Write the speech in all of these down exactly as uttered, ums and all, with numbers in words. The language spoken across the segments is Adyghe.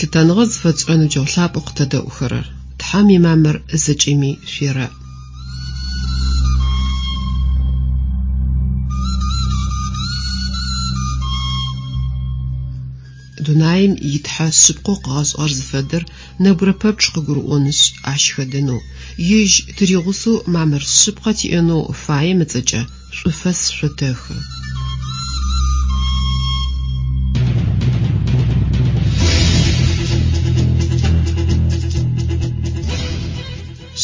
Лъытэныгъэ зыфэтшӏырэ ныбджэгъу лъапӏэу къытэдэӏухэрэр, Тхьэм имамыр зэкӏэми шъуерэӏ. Дунаим итхьэ шъыпкъэу къыгъэшӏыгъэр зыфэдэр нэбгырэ пэпчъ къыгурыӏонышъ, ащ хэдэнэу, ежь тыригъусэу мамыр шъыпкъэ тиӏэнэу фаем ыцӏэкӏэ шӏуфэс шъотэхы.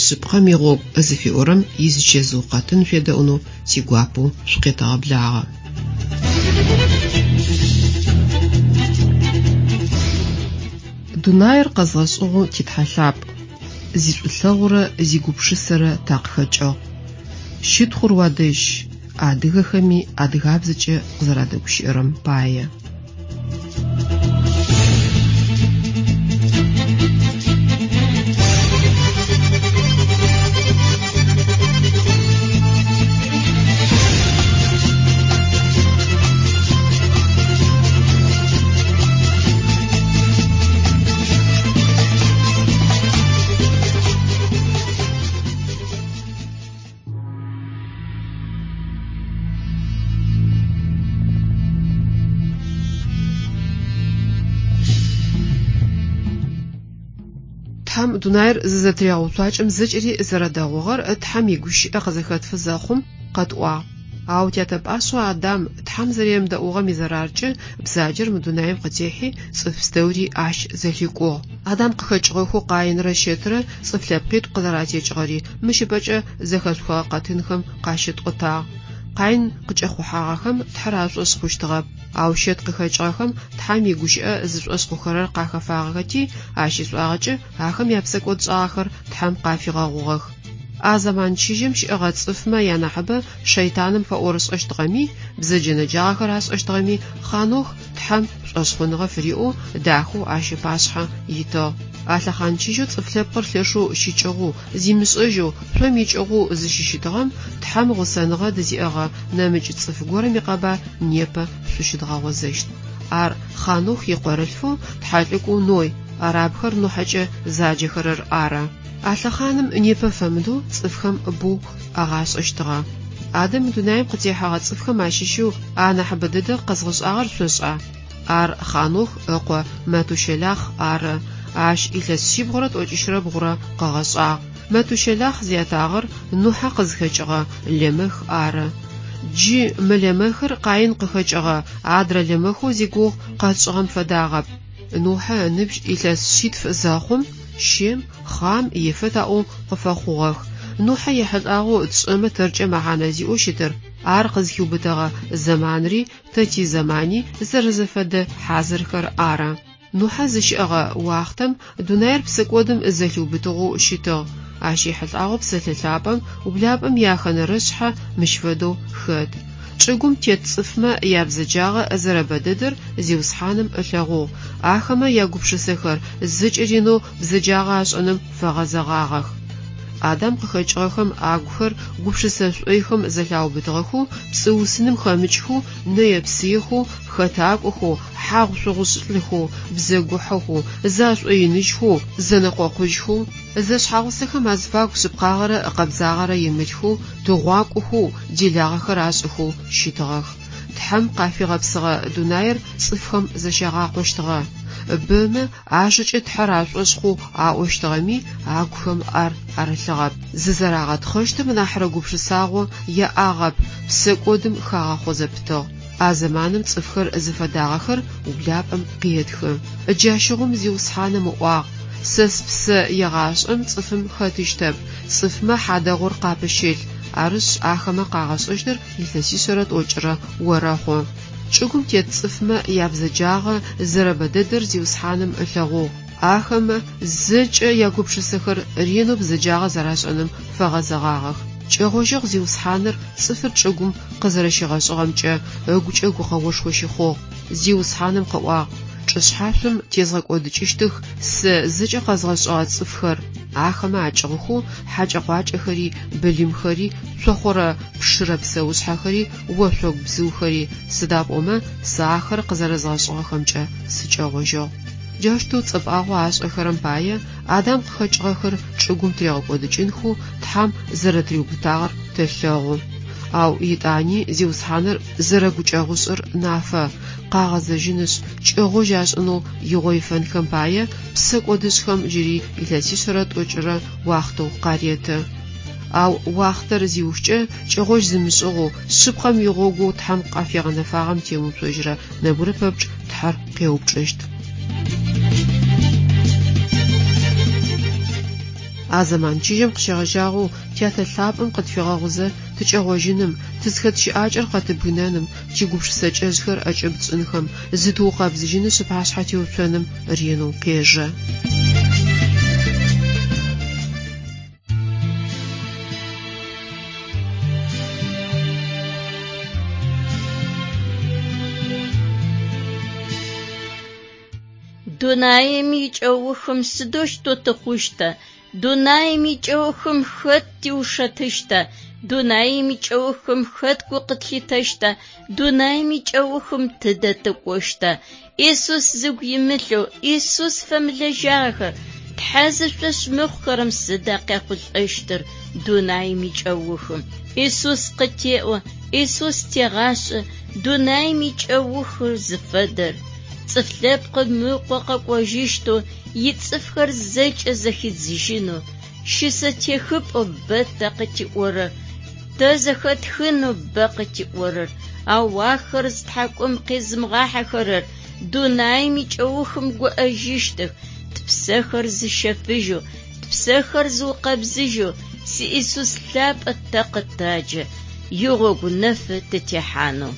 Шъыпкъэм игъогу зыфиӏорэм изычэзыу къэтын шъуедэӏунэу тигуапэу шъукъетэгъэблагъэ. Дунаир къэзгъэшӏыгъэу титхьэ лъапӏ, зишӏулъэгъурэ зигупшысэрэ такъыхэкӏыгъ. Щытхъур уадэжь, адыгэхэми адыгабзэкӏэ къызэрадэгущыӏэрэм пае. Тхьэм дунаир зызэтырегъэуцуакӏэм зэкӏэри зэрэдэгъугъэр Тхьэм игущыӏэ къызэхэтфы зэхъум къэтӏуагъ. Ау тятэ пӏашъэу Адам Тхьэм зэремыдэӏугъэм изэраркӏэ бзаджэр мы дунаим къытехьи, цӏыф пстэури ащ зэлъикӏугъ. Адам къыхэкӏыгъэхэу Къаинрэ Щэтрэ цӏыф лъэпкъитӏу къызэратекӏыгъэри мыщ ыпэкӏэ зэхэшъухыгъэ къэтынхэм къащытӏотагъ. Къаин къыкӏэхъухьагъэхэм Тхьэр ашӏошъ хъущтыгъэп, ау Щэт къыхэкӏыгъэхэм Тхьэм игущыӏэ зышӏошъ хъухэрэр къахэфагъэхэти, ащ ишӏуагъэкӏэ ахэм япсэкӏодшӏагъэхэр Тхьэм къафигъэгъугъэх. А зэман чыжьэм щыӏэгъэ цӏыфмэ янахьыбэ шэйтаным фэӏорышӏэщтыгъэми, бзэджэ-нэджагъэхэр ашӏэщтыгъэми, Хъанох Тхьэм шӏошъхъуныгъэ фыриӏэу дахэу ащ ыпашъхьэ итыгъ. А лъэхъан чыжьэу цӏыф лъэпкъыр лъэшэу щыкӏыгъэу, зимышӏэжьэу, шъом икӏыгъэу зыщыщытыгъэм Тхьэм гъусэныгъэ дызиӏэгъэ нэмыкӏ цӏыф горэм икъэбар непэ шъущыдгъэгъозэщт. Ар Хъанох икъорэлъфэу тхьэлӏыкӏоу Ной, арабхэр Нухьэкӏэ заджэхэрэр ары. А лъэхъаным непэ фэмыдэу цӏыфхэм боу агъашӏэщтыгъэ. Адэм дунаим къытехьэгъэ цӏыфхэм ащыщэу анахьыбэ дэдэ къэзгъэшӏагъэр шъошӏа? Ар Хъанох ыкъо Мэтущэлахъ ары. Ащ илъэс шъибгъурэ тӏокӏищрэ бгъурэ къыгъэшӏагъ. Мэтущэлахъ зятагъэр Нухьэ къызхэкӏыгъэ Лемэх ары. Джы мы Лемэхыр Къаин къыхэкӏыгъэ адрэ Лемэхэу зигугъу къэтшӏыгъэм фэдагъэп. Нухьэ ыныбжь илъэс шъитф зэхъум Щем, Хъам, Ефэт аӏоу къыфэхъугъэх. Нухьэ ехьылӏагъэу тшӏэмэ тэркӏэ мэхьанэ зиӏэу щытыр, ар къызхиубытэгъэ зэманри тэ тизэмани зэрэзэфэдэ хьазырхэр ары. Нухьэ зыщыӏэгъэ уахътэм дунаир псэкӏодым зэлъиубытыгъэу щытыгъ. Ащ ехьылӏагъэу псэлъэ лъапӏэм ублапӏэм яхэнэрэшъхьэ мыщ фэдэу хэт. Чӏыгум тет цӏыфмэ ябзэджагъэ зэрэбэ дэдэр Зиусхьаным ылъэгъугъ. Ахэмэ ягупшысэхэр зэкӏэ ренэу бзэджагъэ ашӏэным фэгъэзэгъагъэх. Адам къыхэкӏыгъэхэм агухэр гупшысэ шӏойхэм зэлъаубытыгъэхэу, пцӏыусыным хэмыкӏхэу, нэе-псыехэу, хэтакӏохэу, хьагъу-шъугъушӏылӏхэу, бзэгухьэхэу, зашӏоиныжьхэу, зэнэкъокъужьхэу, зэшъхьэгъусэхэм азыфагу шъыпкъагъэрэ къэбзагъэрэ имылъхэу, тыгъуакӏохэу, делагъэхэр ашӏыхэу щытыгъэх. Тхьэм къафигъэпсыгъэ дунаир цӏыфхэм зэщагъакъощтыгъэ. Бэмэ ажэкӏэ Тхьэр ашӏошъ хъоу аӏощтыгъэми, агухэм ар арылъыгъэп. Зызэрагъэтхъэщтым нахьрэ гупшысагъо яӏагъэп, псэкӏодым хагъэхъо зэпытыгъ. А зэманым цӏыфхэр зыфэдагъэхэр ублапӏэм къетхы. Джащыгъум Зиусхьаным ыӏуагъ: Сэ спсэ егъашӏэм цӏыфым хэтыщтэп, цӏыфмэ хьадэгъур къапыщылъ, арышъ ахэмэ къагъэшӏэщтыр илъэсишъэрэ тӏокӏырэ орэхъу. Чӏыгум тет цӏыфмэ ябзэджагъэ зэрэбэ дэдэр Зиусхьаным ылъэгъугъ. Ахэмэ зэкӏэ ягупшысэхэр ренэу бзэджагъэ зэрашӏэным фэгъэзэгъагъэх. Кӏэгъожьыгъ Зиусхьаныр цӏыфыр чӏыгум къызэрэщигъэшӏыгъэмкӏэ ыгукӏэ гукъэошхо щыхъугъ. Зиусхьаным къыӏуагъ: Чӏышъхьашъом тезгъэкӏодыкӏыщтых сэ зэкӏэ къэзгъэшӏыгъэ цӏыфхэр, ахэмэ акӏыгъухэу хьакӏэ-къуакӏэхэри, былымхэри, цохъорэ пшырэ псэушъхьэхэри, ошъогу бзыухэри, сыда пӏомэ сэ ахэр къызэрэзгъэшӏыгъэхэмкӏэ сыкӏэгъожьыгъ. Джаущтэу цӏэпӏагъэу ашӏэхэрэм пае Адам къыхэкӏыгъэхэр чӏыгум тыригъэкӏодыкӏынхэу Тхьэм зэрэтыриубытагъэр тэлъэгъу. Ау етӏани Зиусхьаныр зэрэгукӏэгъушӏыр нафэ: къагъэзэжьынышъ, кӏэгъожь ашӏынэу игъо ифэнхэм пае, псэкӏодышӏхэм джыри илъэсишъэрэ тӏокӏырэ уахътэу къареты. Ау уахътэр зиухкӏэ, кӏэгъожь зымышӏыгъэу, шъыпкъэм игъогоу Тхьэм къафигъэнэфагъэм темыуцожьырэ нэбгырэ пэпчъ Тхьэр къеупчӏыщт. А зэман чыжьэм къыщегъэжьагъэу Тятэ лъапӏэм къытфигъэгъузэ тыкӏэгъожьыным, тызхэт щыӏакӏэр къэтыбгынэным, тигупшысэкӏэжъхэр ӏэкӏыб тшӏынхэм, зытыукъэбзыжьынышъ ыпашъхьэ теуцоным ренэу къежэ. Дунаим икӏэухым сыдэущтэу тыхъущта? Дунаим икӏэухым хэт тиушэтыщта? Дунаим икӏэухым хэт гу къытлъитэщта? Дунаим икӏэухым тыдэ тыкӏощта? Исус зыгу имылъэу, Исус фэмылэжьагъэхэр, Тхьэ зышӏошъ мыхъухэрэм сыда къяхъулӏэщтыр дунаим икӏэухым? Исус къытеӏо, Исус тегъашӏэ, дунаим икӏэухыр зыфэдэр. Цӏыф лъэпкъым ыкъо къэкӏожьыщтэу, ицӏыфхэр зэкӏэ зэхидзыжьынэу, щысэтехыпӏэу бэ тэ къытиӏорэр, тэ зэхэтхынэу бэ къытиӏорэр, ау ахэр зытхьакӏум къизымыгъахьэхэрэр дунаим икӏэухым гуӏэжьыщтых, тпсэхэр зыщэфыжьэу, тпсэхэр зыукъэбзыжьэу, си Исус лъапӏэ тэ къытаджэ, игъогу нэфы тытехьанэу.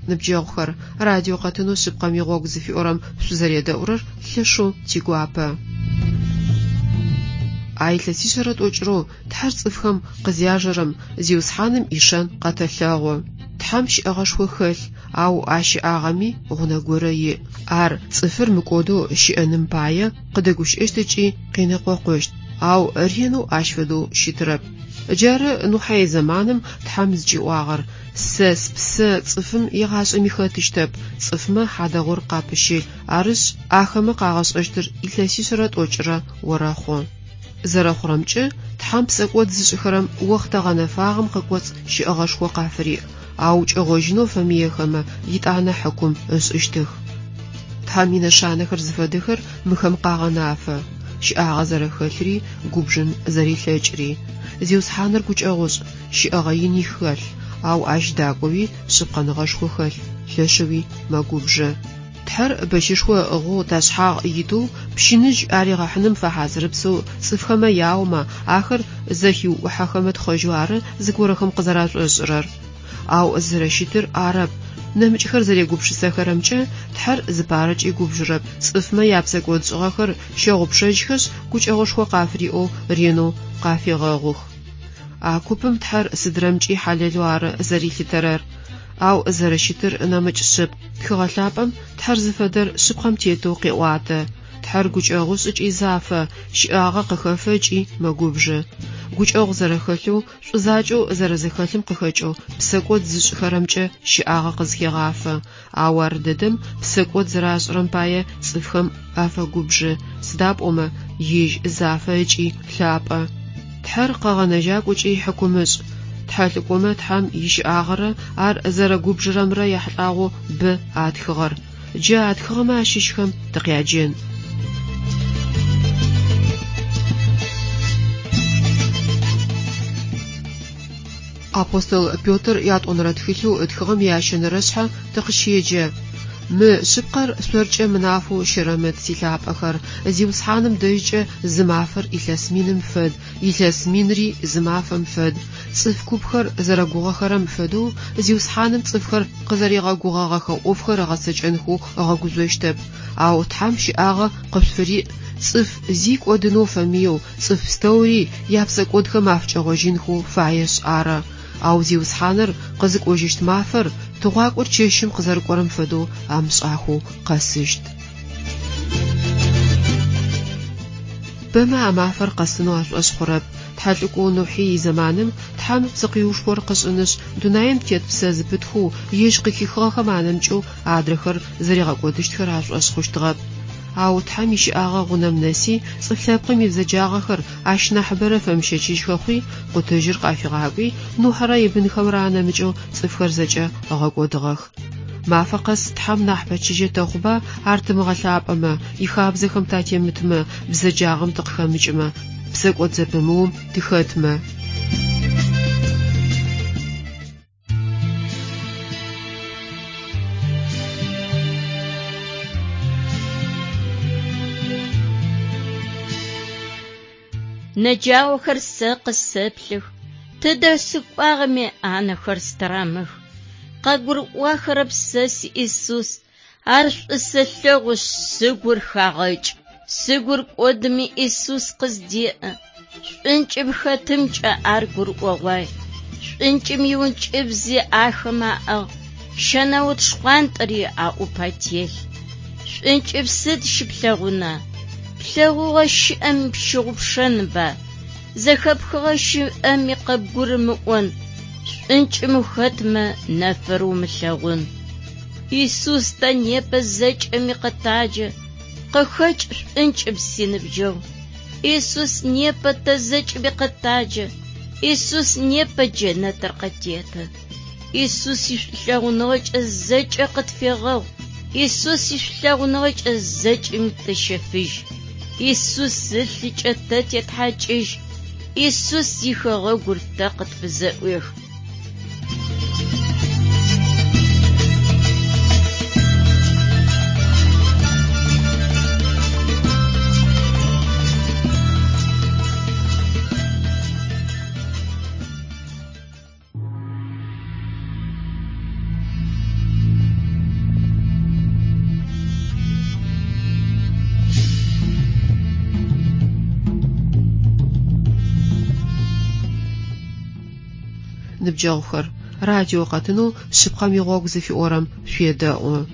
Ныбджэгъухэр, радио къэтынэу шъыпкъэм игъогу зыфиӏорэм шъузэредэӏурэр лъэшэу тигуапэ. А илъэсишъэрэ тӏокӏырэу Тхьэр цӏыфхэм къызяжэрэм Зиусхьаным ишэн къэтэлъэгъу. Тхьэм щыӏэгъэшхо хэлъ, ау а щыӏагъэми гъунэ горэ иӏ. Ар цӏыфыр мыкӏодэу щыӏэным пае къыдэгущыӏэщт ыкӏи къенэкъокъущт, ау ренэу ащ фэдэу щытырэп. Джары Нухьэ изэманым Тхьэм зыкӏиӏуагъэр: «Сэ спсэ цӏыфым егъашӏэми хэтыщтэп, цӏыфмэ хьадэгъур къапыщылъ, арышъ, ахэмэ къагъэшӏэщтыр илъэсишъэрэ тӏокӏырэ орэхъу». Зэрэхъурэмкӏэ, Тхьэм псэкӏод зышӏыхэрэм охътэ гъэнэфагъэм къыкӏоцӏ щыӏэгъэшхо къафыриӏ, ау кӏэгъожьынэу фэмыехэмэ, етӏанэ хьыкум ышӏыщтых. Тхьэм инэшанэхэр зыфэдэхэр мыхэм къагъэнафэ: щыӏагъэ зэрэхэлъри, губжын зэрилъэкӏыри. Зиусхьаныр гукӏэгъушӏ, щыӏэгъэ ини хэлъ, ау ащ дакӏоуи шъыпкъэныгъэшхо хэлъ, лъэшэуи мэгубжы. Тхьэр бэщышхо ыӏыгъэу ташъхьагъ итэу пщыныжь аригъэхьыным фэхьазырыпсэу цӏыфхэмэ яомэ, ахэр зэхиуӏухьэхэмэ тхъэжьэу ары зыгорэхэм къызэрашӏошӏырэр. Ау зэрэщытыр арэп. Нэмыкӏхэр зэрегупшысэхэрэмкӏэ Тхьэр зыпарэкӏи губжырэп, цӏыфмэ япсэкӏодшӏыгъэхэр щэгъупшэжьхэшъ, гукӏэгъушхо къафыриӏэу ренэу къафегъэгъух. А купым Тхьэр сыдрэмкӏи хьалэлэу ары зэрилъытэрэр. Ау зэрэщытыр нэмыкӏ шъыпкъ. Тхыгъэ лъапӏэм Тхьэр зыфэдэр шъыпкъэм тетэу къеӏуатэ. Тхьэр гукӏэгъушӏ ыкӏи зафэ, щыӏагъэ къыхэфэ ыкӏи мэгубжы. Гукӏэгъу зэрэхэлъэу, шӏу закӏэу зэрэзэхэлъым къыхэкӏэу псэкӏод зышӏыхэрэмкӏэ щыӏагъэ къызхегъафэ. Ау ар дэдэм псэкӏод зэрашӏырэм пае цӏыфхэм афэгубжы, сыда пӏомэ ежь зафэ ыкӏи лъапӏэ. Тхьэр къэгъэнэжьакӏу ыкӏи хьыкумышӏ. Тхьэлӏыкӏомэ Тхьэм ищыӏагъэрэ ар зэрэгубжырэмрэ яхьылӏагъэу бэ атхыгъэр. Джы атхыгъэмэ ащыщхэм тыкъяджэн. Апостол Петр ятӏонэрэ тхылъэу ытхыгъэм ящэнэрэ шъхьэ тыкъыщеджэ: «Мы шъыпкъэр шъоркӏэ мынафэу щэрэмыт, силъапӏэхэр, Зиусхьаным дэжькӏэ зы мафэр илъэс миным фэд, илъэс минри зы мафэм фэд. Цӏыф купхэр зэрэгугъэхэрэм фэдэу Зиусхьаным цӏыфхэр къызэригъэгугъэгъэхэ ӏофхэр ыгъэцэкӏэнхэу ыгъэгужъощтэп. Ау Тхьэм щыӏагъэ къышъуфыриӏ, цӏыф зи кӏодынэу фэмыеу, цӏыф пстэури япсэкӏодхэм афыкӏэгъожьынхэу фаешъ ары. Ау Зиусхьаныр къызыкӏожьыщт мафэр тыгъуакӏор чэщым къызэрыкӏорэм фэдэу амышӏахэу къэсыщт». Бэмэ а мафэр къэсынэу ашӏошъ хъурэп. Тхьэлӏыкӏоу Нухьи изэманым Тхьэм псыкъиушхор къышӏынышъ, дунаим тет псэ зыпытхэу ежь къыхихыгъэхэм анэмыкӏэу адрэхэр зэригъэкӏодыщтхэр ашӏошъ хъущтыгъэп. Ау Тхьэм ищыӏагъэ гъунэм нэси, цӏыф лъэпкъым ибзэджагъэхэр ащ нахьыбэрэ фэмыщэчыжьхэ хъуи, къутыжьыр къафигъакӏуи, Нухьэрэ ибынхэмрэ анэмыкӏэу цӏыфхэр зэкӏэ ыгъэкӏодыгъэх. Мафэ къэс Тхьэм нахь пэчыжьэ тэхъуба ар тымыгъэлъапӏэмэ, ихабзэхэм татемытмэ, бзэджагъэм тыкъыхэмыкӏымэ, псэкӏод зэпымыум тыхэтмэ. Нэджаохэр сэ къысэплъых, тыдэ сыкӏуагъэми анэхэр стырамых. Къэгурыӏуахэрэп сэ си Исус, ар шӏу сэлъэгъушъ, сыгур хагъэкӏ. Сыгур кӏодыми Исус къыздеӏэ, шӏункӏым хэтымкӏэ ар гурыӏогъуай. Шӏункӏым иункӏыбзи ахэм аӏыгъ, щэнаут шхъуантӏэри аӏупэ телъ. Шӏункӏым сыд щыплъэгъуна? Плъэгъугъэ щыӏэми пщыгъупшэнба, зэхэпхыгъэ щыӏэми къыбгурымыӏон, шӏункӏым ухэтмэ нэфыр умылъэгъун. Исус тэ непэ зэкӏэми къытаджэ, къыхэкӏ шӏункӏым синыбджэгъу. Исус непэ тэ зэкӏэми къытаджэ, Исус непэ джэнэтыр къытеты. Исус ишӏулъэгъуныгъэкӏэ зэкӏэ къытфегъэгъу, Исус ишӏулъэгъуныгъэкӏэ зэкӏэми тыщэфыжь. Исус ылъыкӏэ тэ тетхьакӏыжь, Исус ихэгъэгур тэ къытфызэӏуех. Ныбджэгъухэр, радио къэтынэу шъыпкъэм игъогу зыфиӏорэм шъуедэӏу.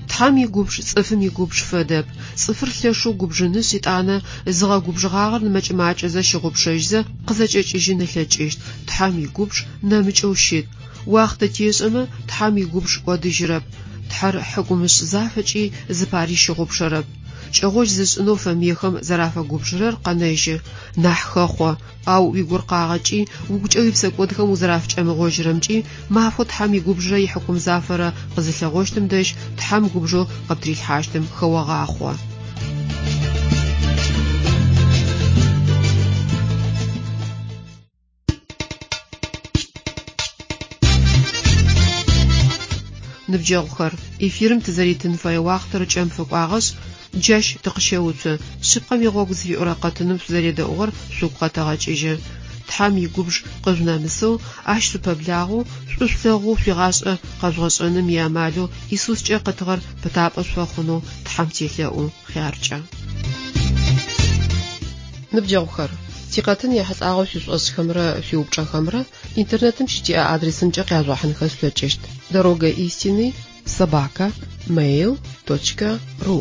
Тхьэм игубж цӏыфым игубж фэдэп. Цӏыфыр лъэшэу губжынышъ, итӏанэ зыгъэгубжыгъагъэр нэмыкӏ-макӏэзэ щыгъупшэжьызэ къызэкӏэкӏыжьын ылъэкӏыщт. Тхьэм игубж нэмыкӏэу щыт. Уахътэ тешӏэмэ, Тхьэм игубж кӏодыжьырэп. Тхьэр хьыкумышӏ зафэкӏи зыпари щыгъупшэрэп. Кӏэгъожь зышӏынэу фэмыехэм зэрафэгубжырэр къэнэжьы, нахь хэхъо, ау уигуркъагъэкӏи, угукӏэ уипсэкӏодхэм узэрафыкӏэмыгъожьырэмкӏи, мафэу Тхьэм игубжырэ ихьыкум зафэрэ къызылъэгъощтым дэжь Тхьэм губжэу къыптрилъхьащтым хэогъахъо. Ныбджэгъухэр, эфирым тызэритын фэе уахътэр кӏэм фэкӏуагъэшъ, джащ тыкъыщеуцу. Шъыпкъэм игъогу зыфиӏорэ къэтыным шъузэредэӏугъэр шъугу къэтэгъэкӏыжьы. Тхьэм игубж къыжъунэмысэу, ащ шъупэблагъэу, шӏу шъулъэгъоу шъуигъашӏэ къэжъугъэшӏэным иамалэу Исускӏэ къытыгъэр пытапӏэ шъуфэхъунэу Тхьэм телъэӏу хъяркӏэ. Ныбджэгъухэр, тикъэтын ехьылӏагъэу шъуишӏошӏхэмрэ шъуиупчӏэхэмрэ интернетым щытиӏэ адресымкӏэ къяжъугъэхьынхэ шъулъэкӏыщт: дорога истины собака mail точка ру.